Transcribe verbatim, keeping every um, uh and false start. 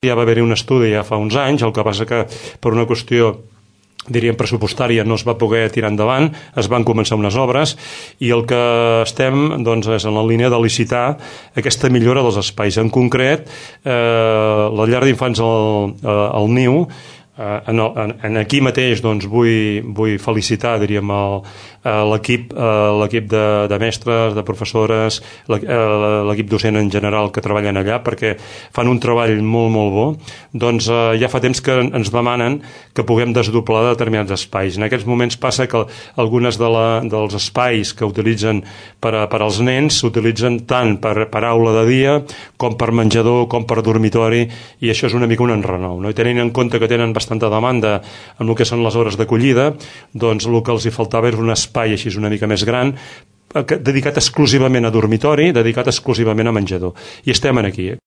Ja va haver-hi un estudi ja fa uns anys, el que passa que per una qüestió diríem pressupostària no es va poder tirar endavant, es van començar unes obres i el que estem doncs, és en la línia de licitar aquesta millora dels espais. En concret, eh, la llar d'infants al, al Niu, eh, en, en, en aquí mateix doncs, vull, vull felicitar diríem el, l'equip l'equip de, de mestres, de professores, l'equip docent en general que treballen allà perquè fan un treball molt molt bo. Doncs eh, ja fa temps que ens demanen que puguem desdoblar determinats espais. En aquests moments passa que algunes de la, dels espais que utilitzen per, a, per als nens s'utilitzen tant per, per aula de dia com per menjador, com per dormitori, i això és una mica un enrenou, no? I tenint en compte que tenen bastanta demanda en el que són les hores d'acollida, doncs el que els hi faltava és un espai espai així una mica més gran, dedicat exclusivament a dormitori, dedicat exclusivament a menjador. I estem aquí.